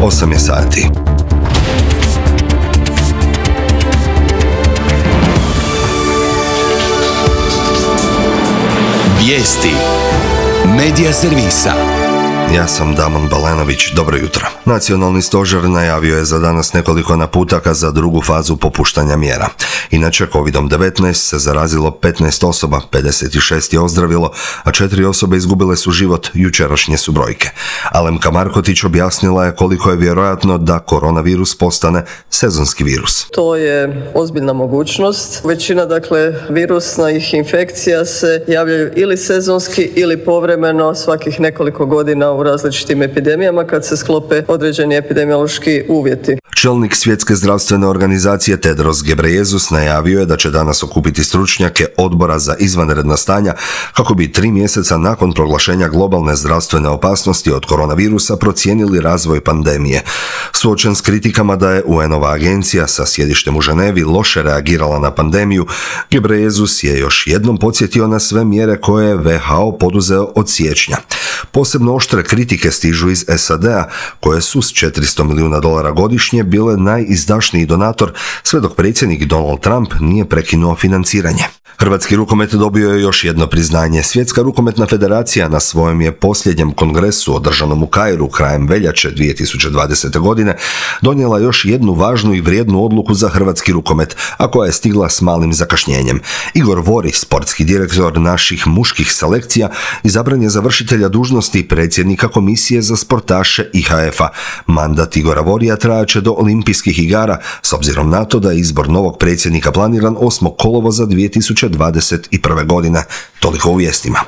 8 je sati. Vijesti Medija servisa. Ja sam Damon Balenović, dobro jutro. Nacionalni stožer najavio je za danas nekoliko naputaka za drugu fazu popuštanja mjera. Inače, COVID-19 se zarazilo 15 osoba, 56 je ozdravilo, a 4 osobe izgubile su život, jučerašnje su brojke. Alemka Markotić objasnila je koliko je vjerojatno da koronavirus postane sezonski virus. To je ozbiljna mogućnost. Većina, virusnih infekcija se javljaju ili sezonski ili povremeno svakih nekoliko godina u različitim epidemijama kad se sklope određeni epidemiološki uvjeti. Čelnik Svjetske zdravstvene organizacije Tedros Ghebreyesus najavio je da će danas okupiti stručnjake Odbora za izvanredna stanja kako bi 3 mjeseca nakon proglašenja globalne zdravstvene opasnosti od koronavirusa procijenili razvoj pandemije. Suočen s kritikama da je UN-ova agencija sa sjedištem u Ženevi loše reagirala na pandemiju, Ghebreyesus je još jednom podsjetio na sve mjere koje je WHO poduzeo od siječnja. Posebno oštre kritike stižu iz SAD-a, koje su s $400 milijuna godišnje bile najizdašniji donator, sve dok predsjednik Donald Trump nije prekinuo financiranje. Hrvatski rukomet dobio je još jedno priznanje. Svjetska rukometna federacija na svojem je posljednjem kongresu održanom u Kairu krajem veljače 2020. godine donijela još jednu važnu i vrijednu odluku za hrvatski rukomet, a koja je stigla s malim zakašnjenjem. Igor Vori, sportski direktor naših muških selekcija, izabran je za vršitelja dužnosti predsjednika Komisije za sportaše IHF-a. Mandat Igora Vorija trajaće do Olimpijskih igara, s obzirom na to da je izbor novog predsjednika planiran 8. kolovoza 2021. godine. Toliko u vijestima.